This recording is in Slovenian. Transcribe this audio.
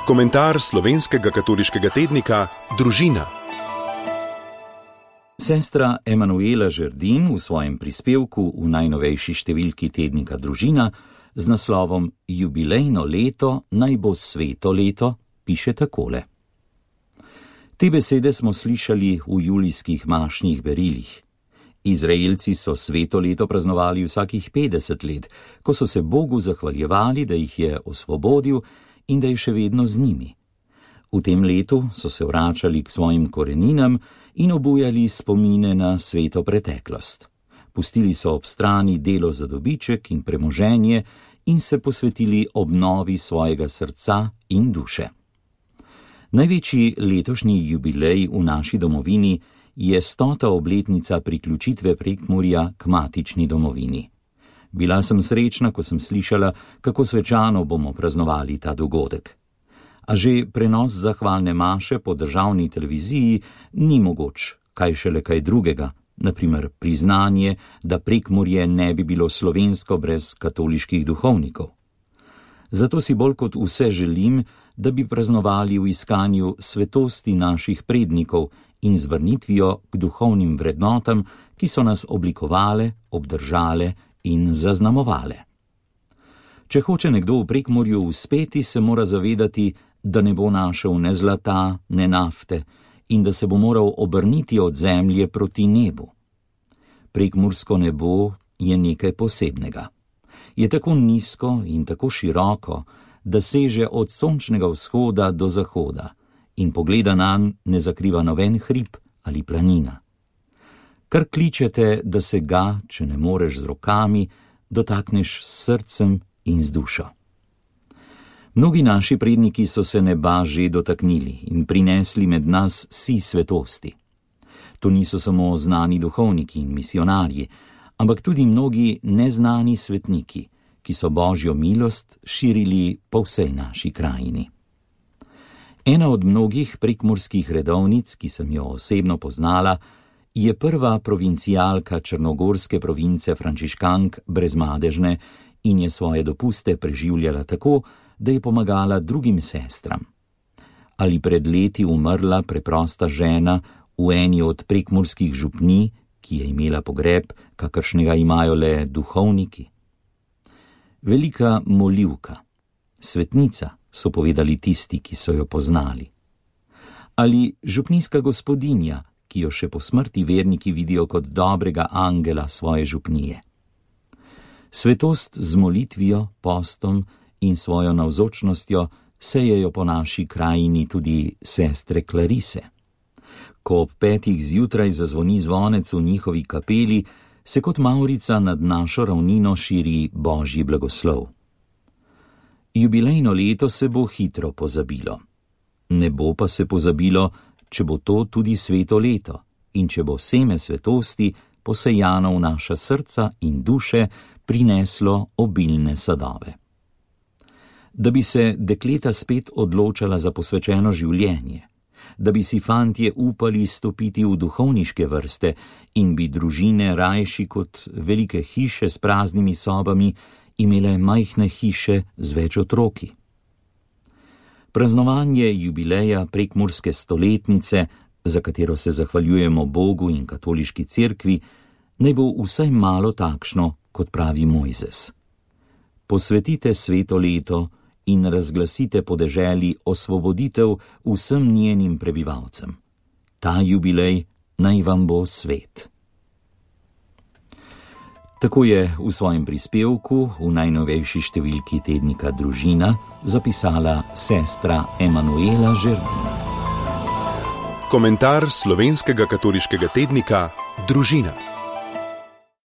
Komentar slovenskega katoliškega tednika Družina. Sestra Emanuela Žerdin v svojem prispevku v najnovejši številki tednika Družina z naslovom Jubilejno leto naj bo sveto leto piše takole. Te besede smo slišali v julijskih mašnih berilih. Izraelci so sveto leto praznovali vsakih 50 let, ko so se Bogu zahvaljevali, da jih je osvobodil in da je še vedno z njimi. V tem letu so se vračali k svojim koreninam in obujali spomine na sveto preteklost. Pustili so ob strani delo za dobiček in premoženje in se posvetili obnovi svojega srca in duše. Največji letošnji jubilej v naši domovini je 100. obletnica priključitve Prekmurja k matični domovini. Bila sem srečna, ko sem slišala, kako svečano bomo praznovali ta dogodek. A že prenos zahvalne maše po državni televiziji ni mogoč, kaj šele kaj drugega, na primer priznanje, da Prekmurje ne bi bilo slovensko brez katoliških duhovnikov. Zato si bolj kot vse želim, da bi praznovali v iskanju svetosti naših prednikov in z vrnitvijo k duhovnim vrednotam, ki so nas oblikovale, obdržale in zaznamovale. Če hoče nekdo v Prekmurju uspeti, se mora zavedati, da ne bo našel ne zlata, ne nafte in da se bo moral obrniti od zemlje proti nebu. Prekmursko nebo je nekaj posebnega. Je tako nizko in tako široko, da seže od sončnega vzhoda do zahoda in pogleda nanj ne zakriva noben hrib ali planina. Kar kličete, da se ga, če ne moreš z rokami, dotakneš s srcem in z dušo. Mnogi naši predniki so se neba že dotaknili in prinesli med nas si svetosti. To niso samo znani duhovniki in misionarji, ampak tudi mnogi neznani svetniki, ki so Božjo milost širili po vsej naši krajini. Ena od mnogih prekmurskih redovnic, ki sem jo osebno poznala, je prva provincialka črnogorske province frančiškank Brezmadežne in je svoje dopuste preživljala tako, da je pomagala drugim sestram. Ali pred leti umrla preprosta žena v eni od prekmurskih župnij, ki je imela pogreb, kakršnega imajo le duhovniki. Velika molivka, svetnica, so povedali tisti, ki so jo poznali. Ali župnijska gospodinja, ki jo še po smrti verniki vidijo kot dobrega angela svoje župnije. Svetost z molitvijo, postom in svojo navzočnostjo sejejo po naši krajini tudi sestre Klarise. Ko ob 5. zjutraj zazvoni zvonec v njihovi kapeli, se kot mavrica nad našo ravnino širi Božji blagoslov. Jubilejno leto se bo hitro pozabilo. Ne bo pa se pozabilo, če bo to tudi sveto leto in če bo seme svetosti posejano v naša srca in duše prineslo obilne sadove. Da bi se dekleta spet odločala za posvečeno življenje, da bi si fantje upali stopiti v duhovniške vrste in bi družine rajši kot velike hiše s praznimi sobami imele majhne hiše z več otroki. Praznovanje jubileja prekmurske stoletnice, za katero se zahvaljujemo Bogu in katoliški cerkvi, naj bo vsaj malo takšno, kot pravi Mojzes. Posvetite sveto leto in razglasite po deželi osvoboditev vsem njenim prebivalcem. Ta jubilej naj vam bo svet. Tako je v svojem prispevku v najnovejši številki tednika Družina zapisala sestra Emanuela Žerdin. Komentar slovenskega katoliškega tednika Družina.